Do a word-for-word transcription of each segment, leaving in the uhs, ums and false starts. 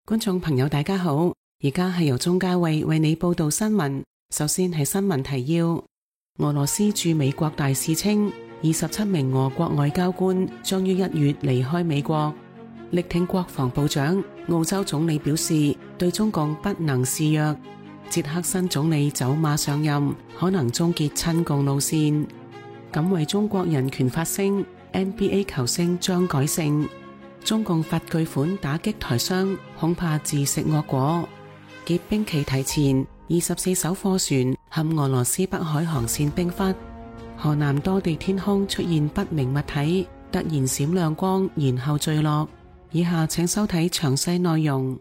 觀眾朋友大家好，而家係由鍾嘉慧為你報道新聞。首先係新聞提要：俄羅斯駐美國大使稱，二十七名俄國外交官將於一月離開美國。力挺國防部長，澳洲總理表示對中共不能示弱。捷克新總理走馬上任，可能終結親共路線。敢為中國人權發聲 ，N B A 球星張改姓。中共罰巨款打擊台商，恐怕自食惡果。結冰期提前，二十四艘貨船陷俄羅斯北海航線冰窟。河南多地天空出現不明物體，突然閃亮光，然後墜落。以下請收睇詳細內容。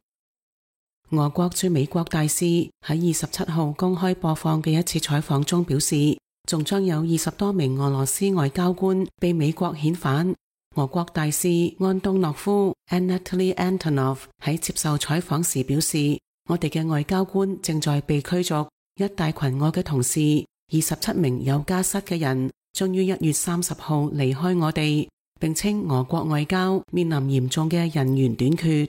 俄國駐美國大使喺二十七號公開播放嘅一次採訪中表示，仲將有二十多名俄羅斯外交官被美國遣返。俄國大使安東諾夫 Anatoly Antonov 喺接受採訪時表示，我哋嘅外交官正在被驅逐，一大群我嘅同事，二十七名有家室嘅人，將於一月三十號離開我哋，並稱俄國外交面臨嚴重嘅人員短缺。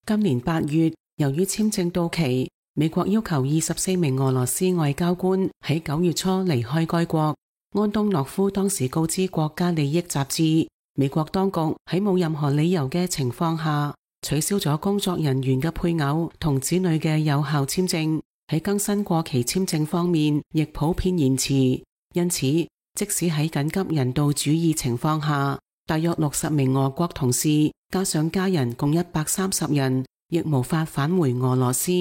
今年八月，由於簽證到期，美國要求二十四名俄羅斯外交官喺九月初離開該國。安東諾夫當時告知國家利益雜誌，美國當局喺冇任何理由嘅情況下，取消咗工作人員嘅配偶同子女嘅有效簽證，喺更新過期簽證方面亦普遍延遲。因此，即使喺緊急人道主義情況下，大約六十名俄國同事加上家人共一百三十人，亦無法返回俄羅斯。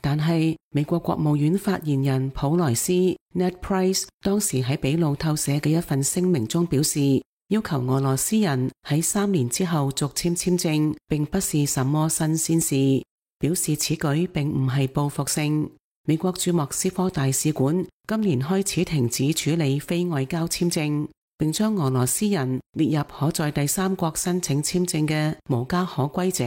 但係美國國務院發言人普萊斯 Ned Price 當時喺俾路透社嘅一份聲明中表示，要求俄羅斯人喺三年之後續簽簽證，並不是什麼新鮮事，表示此舉並唔係報復性。美國駐莫斯科大使館今年開始停止處理非外交簽證，並將俄羅斯人列入可在第三國申請簽證嘅無家可歸者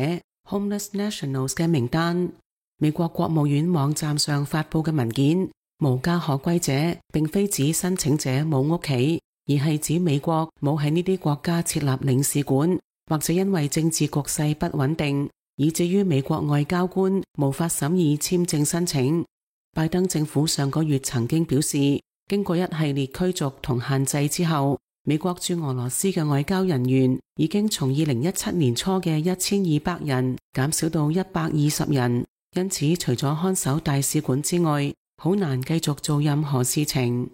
Homeless Nationals 嘅名單。美國國務院網站上發佈嘅文件，無家可歸者並非指申請者冇屋企，而係指美國冇喺呢啲國家設立領事館，或者因為政治局勢不穩定，以至於美國外交官無法審議簽證申請。拜登政府上個月曾經表示，經過一系列驅逐同限制之後，美國駐俄羅斯嘅外交人員已經從二零一七年初嘅一千二百人減少到一百二十人，因此除咗看守大使館之外，好難繼續做任何事情。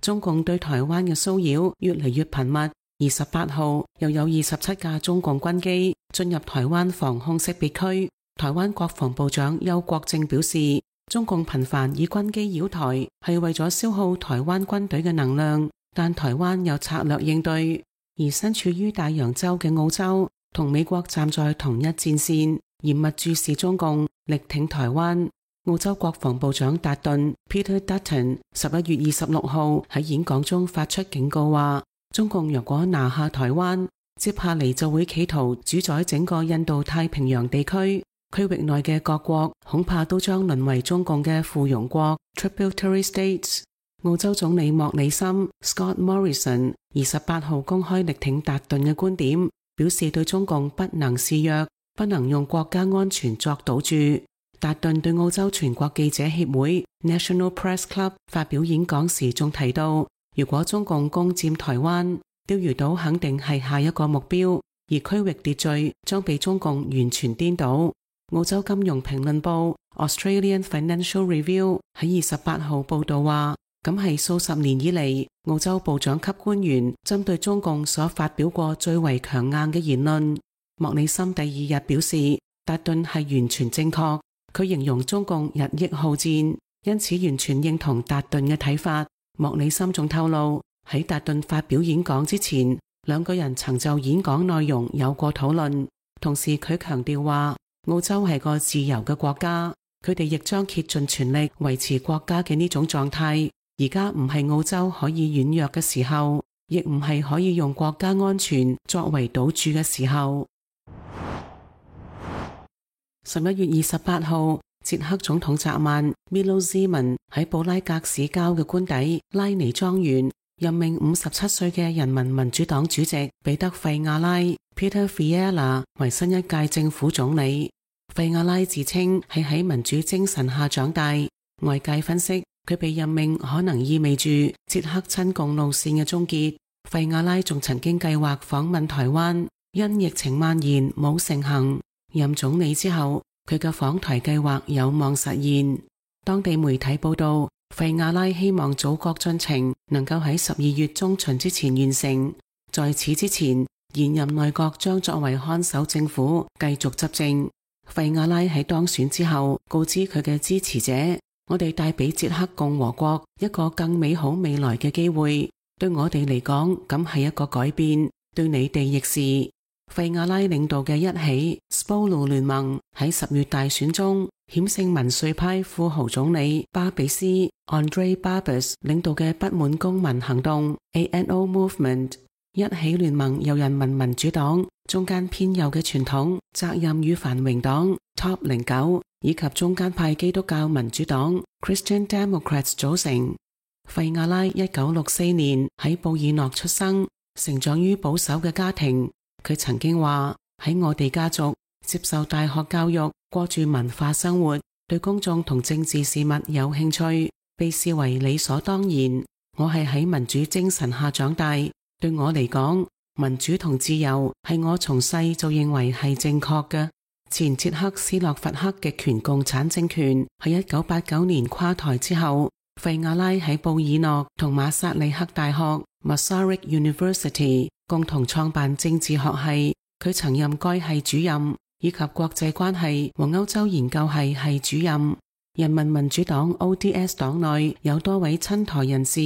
中共對台灣嘅騷擾越嚟越頻密。二十八號又有二十七架中共軍機進入台灣防空識別區。台灣國防部長邱國正表示，中共頻繁以軍機擾台係為咗消耗台灣軍隊嘅能量，但台灣有策略應對。而身處於大洋洲嘅澳洲同美國站在同一戰線，嚴密注視中共，力挺台灣。澳洲國防部長達頓 Peter Dutton 十一月二十六號喺演講中發出警告話，中共若果拿下台灣，接下嚟就會企圖主宰整個印度太平洋地區，區域內嘅各國恐怕都將淪為中共嘅附庸國 Tributary States。澳洲總理莫里森 Scott Morrison 二十八號公開力挺達頓嘅觀點，表示對中共不能示弱，不能用國家安全作賭注。達頓對澳洲全國記者協會 National Press Club 發表演講時仲提到，如果中共攻佔台灣，釣魚島肯定係下一個目標，而區域秩序將被中共完全顛倒。澳洲金融評論報 Australian Financial Review 喺二十八號報道話，咁係數十年以嚟澳洲部長級官員針對中共所發表過最為強硬嘅言論。莫里森第二日表示，達頓係完全正確。佢形容中共日益好戰，因此完全認同達頓嘅睇法。莫里森仲透露，喺達頓發表演講之前，兩個人曾就演講內容有過討論。同時佢強調話，澳洲係個自由嘅國家，佢哋亦將竭盡全力維持國家嘅呢種狀態。而家唔係澳洲可以軟弱嘅時候，亦唔係可以用國家安全作為賭注嘅時候。十一月二十八號，捷克總統澤曼 Milo Zeman 喺布拉格市郊嘅官邸拉尼莊園任命五十七歲嘅人民民主黨主席彼得費亞拉 Peter Fiala 為新一屆政府總理。費亞拉自稱係喺民主精神下長大，外界分析佢被任命可能意味住捷克親共路線嘅終結。費亞拉仲曾經計劃訪問台灣，因疫情蔓延冇成行。任總理之後，佢嘅訪台計劃有望實現。當地媒體報道，費亞拉希望組閣進程能夠喺十二月中旬之前完成。在此之前，現任內閣將作為看守政府繼續執政。費亞拉喺當選之後告知佢嘅支持者，我哋帶俾捷克共和國一個更美好未來嘅機會，對我哋嚟講咁係一個改變，對你哋亦是。費亞拉領導嘅一起 Spolu 聯盟喺十月大選中險勝民粹派富豪總理巴比斯 Andrej Babis 領導嘅不滿公民行動 A N O Movement。一起聯盟由人民民主黨、中間偏右嘅傳統責任與繁榮黨 Top 零九以及中間派基督教民主黨 Christian Democrats 組成。費亞拉一九六四年喺布爾諾出生，成長於保守嘅家庭。佢曾經話，喺我哋家族接受大學教育，過住文化生活，對公眾同政治事物有興趣，被視為理所當然。我係喺民主精神下長大。對我嚟講，民主同自由係我從細就認為係正確嘅。前捷克斯洛伐克極權共產政權喺一九八九年垮台之後，費亞拉喺布爾諾同馬薩里克大學 Masaryk University 共同創辦政治學系，佢曾任該系主任，以及國際關係和歐洲研究系系主任。人民民主黨 O D S 黨內有多位親台人士，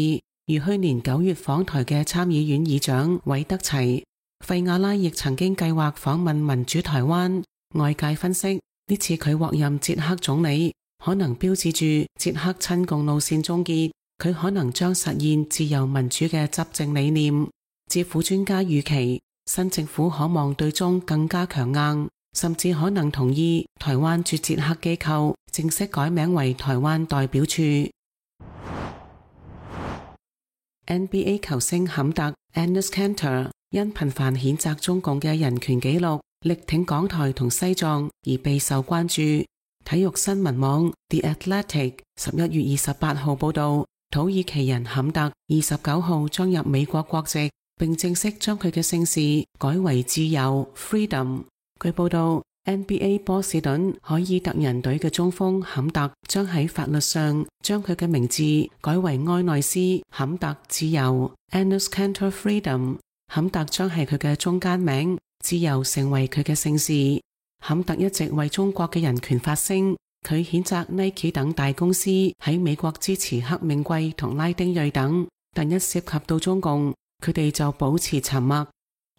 如去年九月訪台嘅參議院議長韋德齊。費亞拉亦曾經計劃訪問民主台灣。外界分析，呢次佢獲任捷克總理，可能標誌住捷克親共路線終結，佢可能將實現自由民主嘅執政理念。智庫專家預期，新政府可望對中更加強硬，甚至可能同意台灣駐捷克機構正式改名為台灣代表處。N B A 球星坎特 Enes Kanter 因頻繁譴責中共嘅人權紀錄，力挺港台同西藏而備受關注。體育新聞網 The Athletic 十一月二十八號報道，土耳其人坎特二十九號將入美國國籍，並正式將佢嘅姓氏改為自由 Freedom。據報道，N B A 波士頓凱爾特人隊嘅中鋒坎特將喺法律上將佢嘅名字改為埃內斯坎特自由 Enes Kanter Freedom。坎特將係佢嘅中間名，自由成為佢嘅姓氏。坎特一直為中國嘅人權發聲，佢譴責 Nike 等大公司喺美國支持黑命貴同拉丁裔等，但一涉及到中共，佢哋就保持沉默。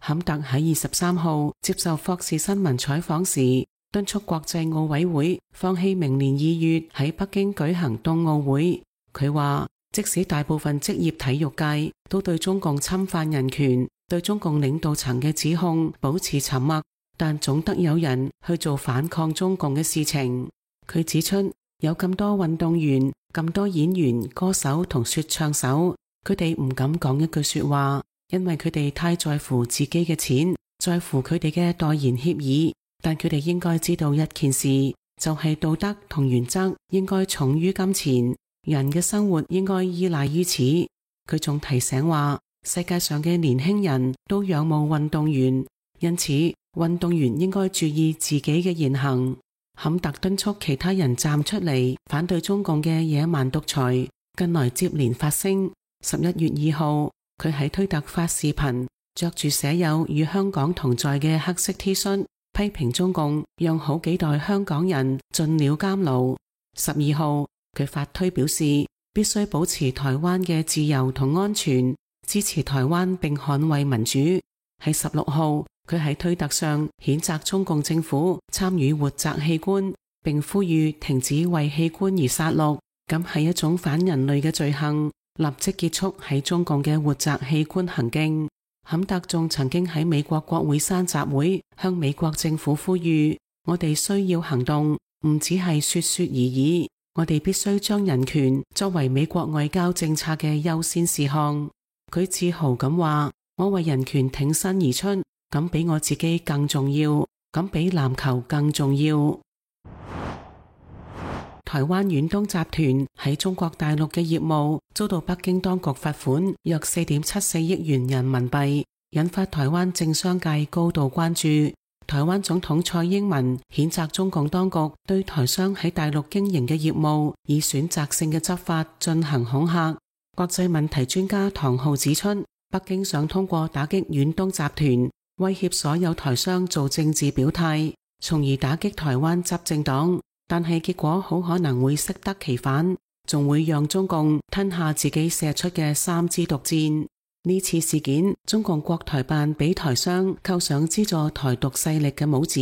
坎特喺二十三號接受霍士新聞採訪時，敦促國際奧委會放棄明年二月喺北京舉行冬奧會。佢話，即使大部分職業體育界都對中共侵犯人權、對中共領導層嘅指控保持沉默，但總得有人去做反抗中共嘅事情。佢指出，有咁多運動員、咁多演員、歌手同說唱手，佢哋唔敢講一句說話，因為佢哋太在乎自己嘅錢，在乎佢哋嘅代言協議。但佢哋應該知道一件事，就係道德同原則應該重於金錢，人嘅生活應該依賴於此。佢仲提醒話，世界上嘅年輕人都仰慕運動員，因此運動員應該注意自己嘅言行。坎特敦促其他人站出嚟反對中共嘅野蠻獨裁，近來接連發聲。十一月二號，佢喺推特發視頻，着住寫有與香港同在嘅黑色 T 恤，批評中共讓好幾代香港人進了監牢。十二號，佢發推表示必須保持台灣嘅自由同安全，支持台灣並捍衛民主。喺十六號，佢喺推特上譴責中共政府參與活摘器官，並呼籲停止為器官而殺戮，咁係一種反人類嘅罪行，立即結束喺中共嘅活摘器官行徑。坎特仲曾經喺美國國會山集會，向美國政府呼籲，我哋需要行動，唔只係說說而已，我哋必須將人權作為美國外交政策嘅優先事項。佢自豪咁話，我為人權挺身而出，咁比我自己更重要，咁比籃球更重要。台灣遠東集團喺中國大陸嘅業務遭到北京當局罰款約四點七四億元人民幣，引發台灣政商界高度關注。台灣總統蔡英文譴責中共當局對台商喺大陸經營嘅業務以選擇性嘅執法進行恐嚇。國際問題專家唐浩指出，北京想通過打擊遠東集團，威脅所有台商做政治表態，從而打擊台灣執政黨。但係結果好可能會適得其反，仲會讓中共吞下自己射出嘅三支毒箭。呢次事件，中共國台辦俾台商扣上資助台獨勢力嘅帽子，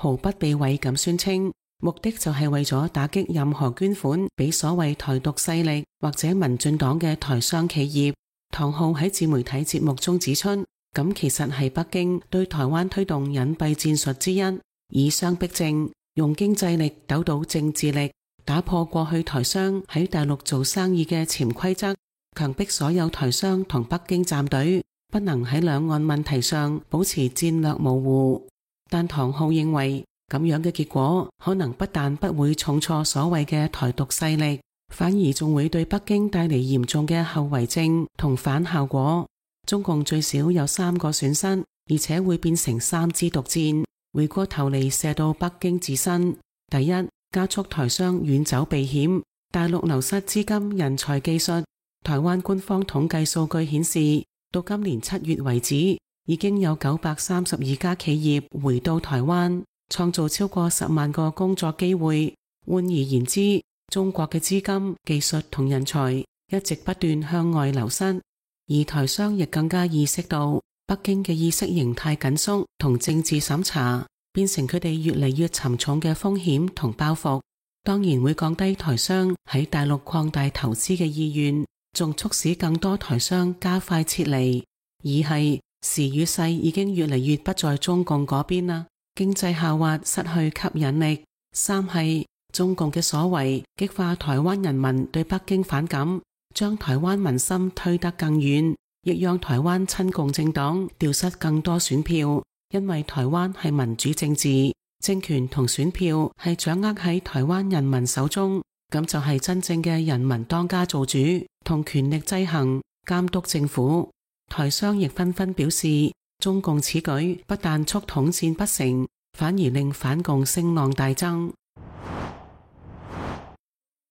毫不避諱咁宣稱，目的就係為咗打擊任何捐款俾所謂台獨勢力或者民進黨嘅台商企業。唐浩喺自媒體節目中指出，咁其實係北京對台灣推動隱蔽戰術之一，以商逼政，用經濟力鬥倒政治力，打破過去台商喺大陸做生意嘅潛規則，強迫所有台商同北京站隊，不能喺兩岸問題上保持戰略模糊。但唐浩認為，咁樣嘅結果可能不但不會重挫所謂嘅台獨勢力，反而仲會對北京帶嚟嚴重嘅後遺症同反效果。中共最少有三個損失，而且會變成三支毒箭，回過頭嚟射到北京自身。第一，加速台商遠走避險，大陸流失資金、人才、技術。台灣官方統計數據顯示，到今年七月為止，已經有九百三十二家企業回到台灣，創造超過十萬個工作機會。換而言之，中國嘅資金、技術同人才一直不斷向外流失，而台商亦更加意識到北京嘅意識形態緊縮同政治審查，變成佢哋越嚟越沉重嘅風險同包袱，當然會降低台商喺大陸擴大投資嘅意願，仲促使更多台商加快撤離。二係時與勢已經越嚟越不在中共嗰邊啦，經濟下滑失去吸引力。三係中共嘅所為激化台灣人民對北京反感，將台灣民心推得更遠，亦讓台灣親共政黨掉失更多選票。因為台灣係民主政治，政權同選票係掌握喺台灣人民手中，咁就係真正嘅人民當家做主，同權力制衡監督政府。台商亦紛紛表示，中共此舉不但促統戰不成，反而令反共聲浪大增。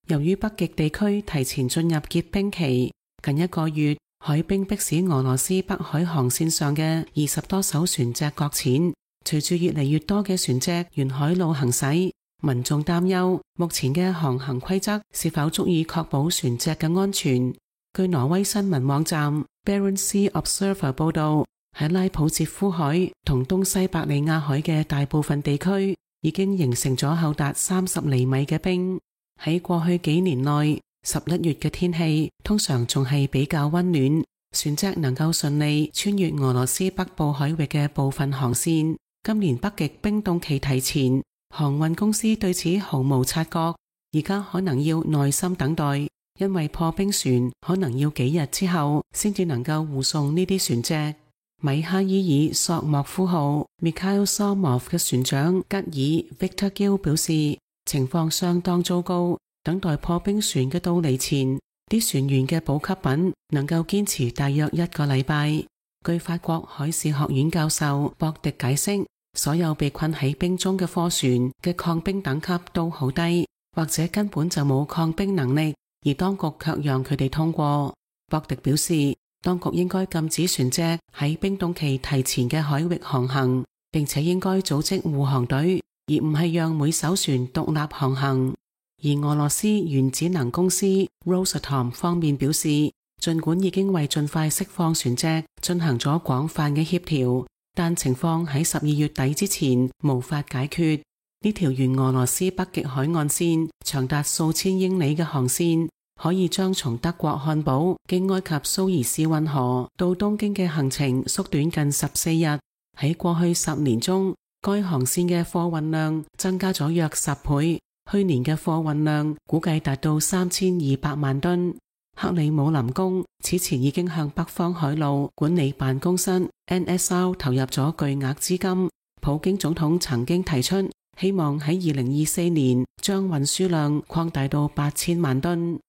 由於北極地區提前進入結冰期，近一個月海冰迫使俄羅斯北海航線上嘅二十多艘船隻擱淺，隨住越嚟越多嘅船隻沿海路行駛，民眾擔憂目前嘅航行規則是否足以確保船隻嘅安全。據挪威新聞網站 Barents Sea Observer 報道，喺拉普捷夫海同東西伯利亞海嘅大部分地區已經形成咗厚達三十厘米嘅冰。喺過去幾年內，十一月嘅天氣通常仲係比較溫暖，船隻能夠順利穿越俄羅斯北部海域嘅部分航線。今年北極冰凍期提前，航運公司對此毫無察覺，而家可能要耐心等待，因為破冰船可能要幾日之後先至能夠護送呢啲船隻。米哈伊爾索莫夫號 Mikhail Somov 嘅船長吉爾 Victor Gill 表示，情況相當糟糕，等待破冰船嘅到嚟前，啲船員嘅補給品能夠堅持大約一個禮拜。據法國海事學院教授博迪解釋，所有被困喺冰中嘅貨船嘅抗冰等級都好低，或者根本就冇抗冰能力，而當局卻讓佢哋通過。博迪表示，當局應該禁止船隻喺冰凍期提前嘅海域航行，並且應該組織護航隊，而唔係讓每艘船獨立航行。而俄羅斯原子能公司 Rosatom 方面表示，儘管已經為盡快釋放船隻進行咗廣泛嘅協調，但情況喺十二月底之前無法解決。呢條沿俄羅斯北極海岸線長達數千英里嘅航線，可以將從德國漢堡經埃及蘇伊士運河到東京嘅行程縮短近十四日。喺過去十年中，該航線嘅貨運量增加咗約十倍，去年嘅貨運量估計達到三千二百萬噸。克里姆林宮此前已經向北方海路管理辦公室 N S R 投入咗巨額資金。普京總統曾經提出，希望喺二零二四年將運輸量擴大到八千萬噸。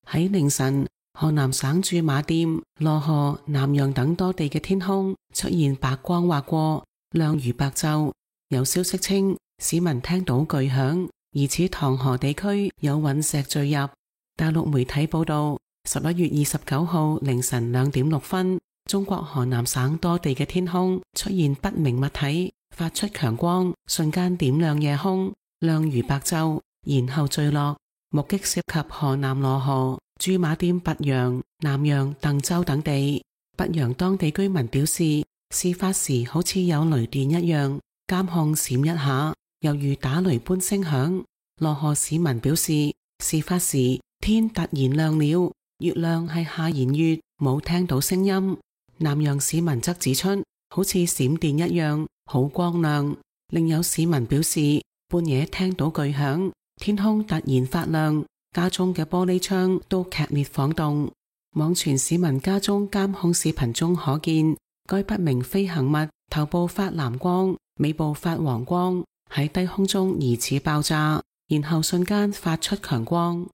喺凌晨，河南省駐馬店、羅河、南陽等多地嘅天空出現白光劃過，亮如白晝。有消息稱，市民聽到巨響，疑似唐河地區有隕石墜入。大陸媒體報道，十一月二十九號凌晨兩點六分，中國河南省多地嘅天空出現不明物體，發出強光，瞬間點亮夜空，亮如白晝，然後墜落。目擊涉及河南羅河、駐馬店拔陽、南陽、鄧州等地。拔陽當地居民表示，事發時好似有雷電一樣，監控閃一下，猶如打雷般聲響。羅河市民表示，事發時天突然亮了，月亮係下弦月，冇聽到聲音。南陽市民則指出，好似閃電一樣，好光亮。另有市民表示，半夜聽到巨響，天空突然發亮，家中嘅玻璃窗都劇烈晃動。網傳市民家中監控視頻中可見，該不明飛行物頭部發藍光，尾部發黃光，喺低空中疑似爆炸，然後瞬間發出強光。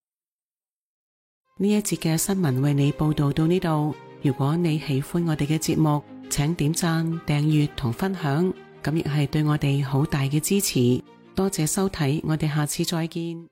呢一節嘅新聞為你報道到呢度。如果你喜歡我哋嘅節目，請點讚、訂閱同分享，咁亦係對我哋好大嘅支持。多謝收睇，我哋下次再見。